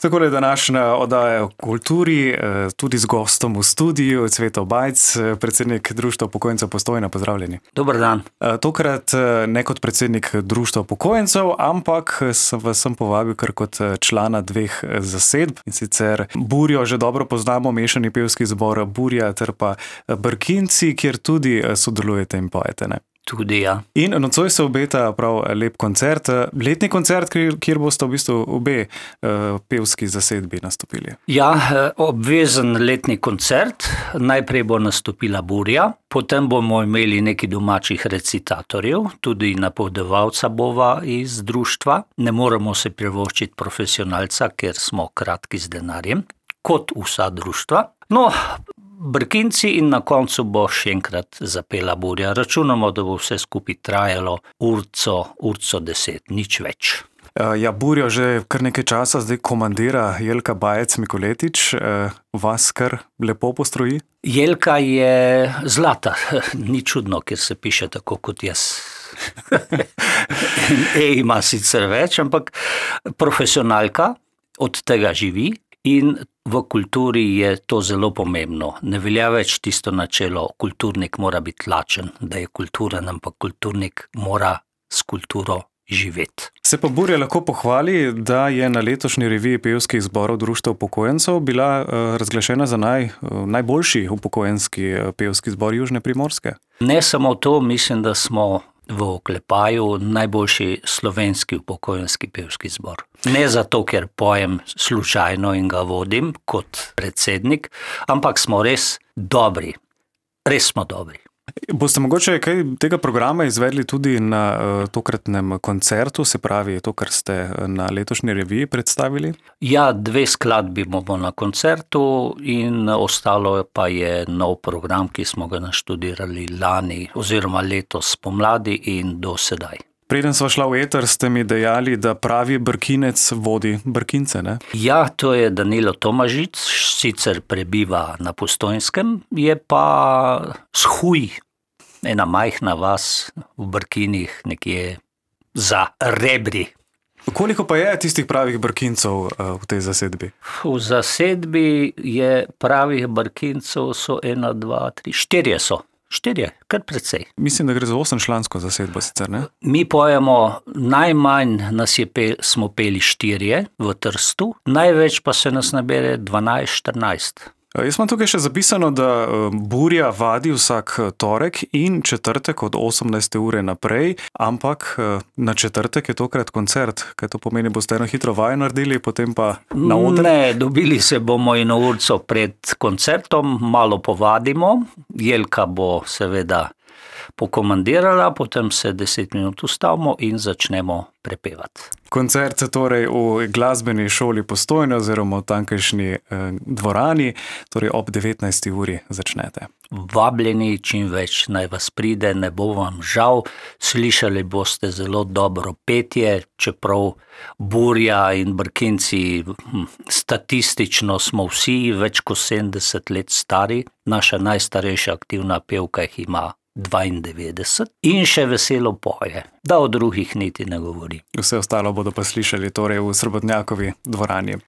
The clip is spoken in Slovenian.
Tako je današnja oddaja o kulturi, tudi z gostom v studiu, Cveto Bajc, predsednik Društva upokojencev Postojna. Pozdravljeni. Dober dan. Tokrat ne kot predsednik Društva upokojencev, ampak vas sem povabil kar kot člana dveh zasedb. In sicer Burjo že dobro poznamo, mešani pevski zbor Burja ter pa Brkinci, kjer tudi sodelujete in pojete, ne? Tudi ja. In nocoj se obeta prav lep koncert, letni koncert, kjer boste v bistvu obe pevski zasedbi nastopili. Ja, obvezen letni koncert. Najprej bo nastopila Burja, potem bomo imeli nekaj domačih recitatorjev, tudi napovedovalca bova iz društva. Ne moremo se privoščiti profesionalca, ker smo kratki z denarjem, kot vsa društva. No, Brkinci in na koncu bo še enkrat zapela Burja. Računamo, da bo vse skupaj trajalo urco 10, nič več. Ja, Burjo že kar nekaj časa zdaj komandira Jelka Bajec Mikoletič. Vas kar lepo postroji? Jelka je zlata. Ni čudno, ker se piše tako kot jaz. Ima sicer več, ampak profesionalka od tega živi. In v kulturi je to zelo pomembno. Ne velja več tisto načelo, kulturnik mora biti lačen, da je kulturen, ampak kulturnik mora s kulturo živeti. Se pa Burja lahko pohvali, da je na letošnji reviji pevskih zborov Društva upokojencev bila razglašena za najboljši upokojenski pevski zbor Južne Primorske. Ne samo to, mislim, da smo v oklepaju najboljši slovenski upokojenski pevski zbor. Ne zato, ker pojem slučajno in ga vodim kot predsednik, ampak smo res dobri. Res smo dobri. Boste mogoče kaj tega programa izvedli tudi na tokratnem koncertu, se pravi to, kar ste na letošnji reviji predstavili? Ja, 2 skladbi bomo na koncertu in ostalo pa je nov program, ki smo ga naštudirali lani oziroma letos spomladi in do sedaj. Preden sva šla v eter, ste mi dejali, da pravi Brkinec vodi Brkince, ne? Ja, to je Danilo Tomažič, sicer prebiva na Postojnskem, je pa Shuj, ena majhna vas v Brkinih, nekje za Rebri. Koliko pa je tistih pravih Brkincev v tej zasedbi? V zasedbi je pravih Brkincev so 1, 2, 3, 4 so. 4, kar precej. Mislim, da gre za 8-člansko zasedbo sicer, ne? Mi pojemo, najmanj smo peli 4 v Trstu, največ pa se nas nabere 12, 14. Jaz imam tukaj še zapisano, da Burja vadi vsak torek in četrtek od 18. ure naprej, ampak na četrtek je tokrat koncert. Kaj to pomeni? Boste eno hitro vajo naredili, potem pa na oder? Ne, dobili se bomo eno urco pred koncertom, malo povadimo. Jelka bo seveda pokomandirala, potem se 10 minut ustavimo in začnemo prepevati. Koncert torej v glasbeni šoli Postojna oziroma v tankajšnji dvorani, torej ob 19. uri začnete. Vabljeni čim več, naj vas pride, ne bo vam žal. Slišali boste zelo dobro petje, čeprav Burja in Brkinci statistično smo vsi več kot 70 let stari. Naša najstarejša aktivna pevka jih ima 92 in še veselo poje, da o drugih niti ne govori. Vse ostalo bodo pa slišali torej v Srebotnjakovi dvorani.